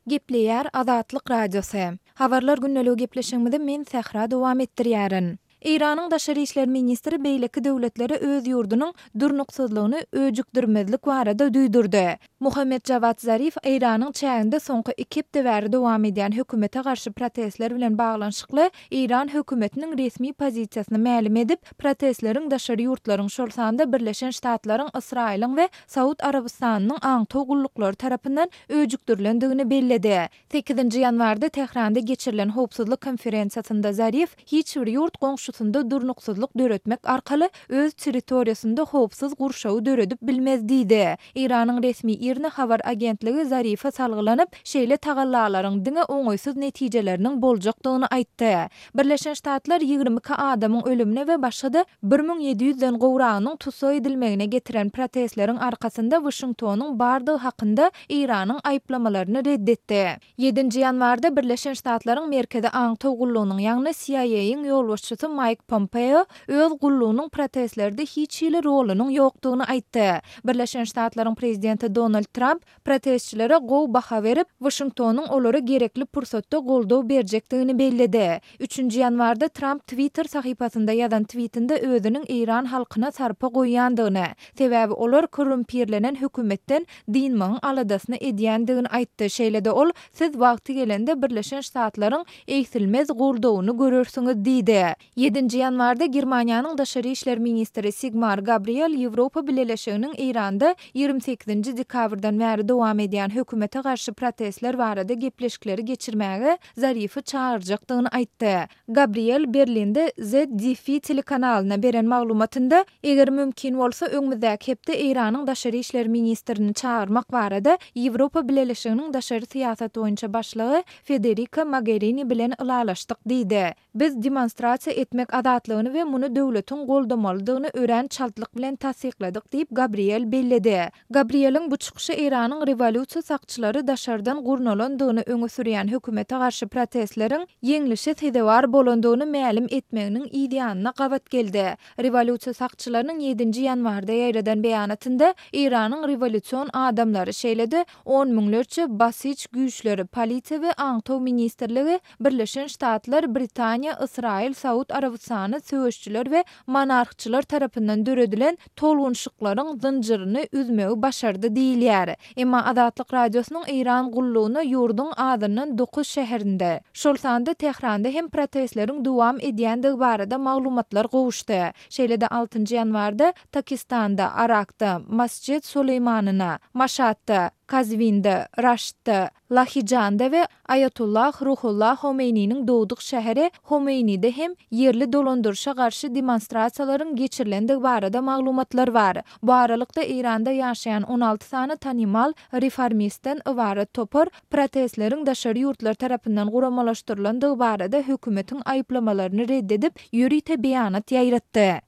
Gepleýär Azatlyk Radiosy. Habarlar gündeligi gepleşigimizi men Sähra dowam etdirýärin. Eýranyň daşary işler ministri beýleki döwletlere öz ýurdunyň durnuksyzlygyny öjükdirmezlik barada duýdurdy. Muhammet Jawad Zarif Eýranyň çäginde soňky iki hepde bäri dowam edýän hökümete garşy protestler bilen baglanyşykly Eýran hökümetiniň resmi pozisiýasyny mälim edip, protestleriň daşary ýurtlaryň, şol sanda Birleşen Ştatlaryň, Ysraýylyň we Saud Arabystanynyň aňtaw gulluklary tarapyndan öjükdirilendigini belledi. Sekizinji ýanwarda Tähranda geçirilen howpsuzlyk konferensiýasynda Zarif hiç bir ýurt goňşusynda durnuksyzlyk döretmek arkaly öz territoriýasynda howpsuz gurşawy döredip bilmez diýdi. Eýranyň resmi IRNA habar agentligi Zarife salgylanyp, şeýle tagallalaryň diňe oňaýsyz netijeleriniň boljakdygyny aýtdy. Birleşen Ştatlar 22 adamyň ölümine we başga-da 1700-den gowragynyň tussag edilmegine getiren protestleriň arkasynda Waşingtonyň bardygy hakynda Eýranyň aýyplamalaryny red etdi. Ýedinji ýanwarda Birleşen Ştatlaryň Merkezi aňtaw gullugynyň, ýagny CIA-yň ýolbaşçysy Maýk Pompeo öz gullugynyň protestlerde hiç hili rolunyň ýokdugyny aýtdy. Birleşen Ştatlaryň prezidenti Donald Tramp protestçilere gowy baha berip, Waşingtonyň olara gerekli pursatda goldaw berjekdigini belledi. Üçünji ýanwarda Tramp Twitter sahypasynda ýazan twitinde özüniň eýran halkyna sarpa goýýandygyny, sebäbi olar korrumpirlenen hökümetden dynmagyň aladasyny edýändigini aýtdy. Şeýle-de ol, Siz wagty gelende Birleşen Ştatlaryň egsilmez goldawyny görersiňiz diýdi. Ýedinji ýanwarda Germaniýanyň daşary işler ministri Sigmar Gabriel Ýewropa Bileleşiginiň Eýranda 28-nji dekabrdan bäri dowam edýän hökümete garşy protestler barada gepleşikleri geçirmäge Zarifi çagyrjakdygyny aýtdy. Gabriel Berlinde ZDF telekanalyna beren maglumatynda, eger mümkin bolsa, öňümizdäki hepde Eýranyň daşary işler ministrini çagyrmak barada Ýewropa Bileleşiginiň daşary syýasat boýunça başlygy Federika Mogerini bilen ylalaşdyk diýdi. Biz demonstrasiýa etmek azatlygyny we muny döwletiň goldamalydygyny örän çaltlyk bilen tassykladyk diýip, Gabriel belledi. Gabrieliň bu çykyşy Eýranyň rewolýusiýa sakçylary daşardan gurnalandygyny öňe sürýän hökümete garşy protestleriň ýeňlişe sezewar bolandygyny mälim etmeginiň yz ýanyna gabat geldi. Rewolýusiýa sakçylarynyň ýedinji ýanwarda ýaýradan beýanatynda Eýranyň rewolýusion adamlary, şeýle-de on müňlerçe Basij güýçleri, polisiýa we aňtaw ministrligi Birleşen Ştatlar, Britaniýa, Ysraýyl, Saud Arabystany söweşçiler we monarhçylar tarapyndan döredilen tolgunyşyklaryň zynjyryny üzmegi başardy diýilýär. Emma Azatlyk Radiosynyň Eýran gullugyna ýurduň azyndan dokuz şäherinde, şol sanda Tähranda hem protestleriň dowam edýändigi barada maglumatlar gowuşdy. Şeýle-de altynjy ýanwarda Takistanda, Arakda, Masjed Soleýmanyna, Maşatda, Kazwinde, Raştda, Lahijanda we Aýatullah Ruhullah Homeýniniň dogduk şäheri Homeýnide hem ýerli dolandyryşa garşy demonstrasiýalaryň geçirilendigi barada maglumatlar bar. Bu aralykda Eýranda ýaşaýan 16 sany tanymal reformistden ybarat topar protestleriň daşary ýurtlar tarapyndan guramalaşdyrylandygy barada hökümetiň aýyplamalaryny red edip, ýörite beýanat ýaýratdy.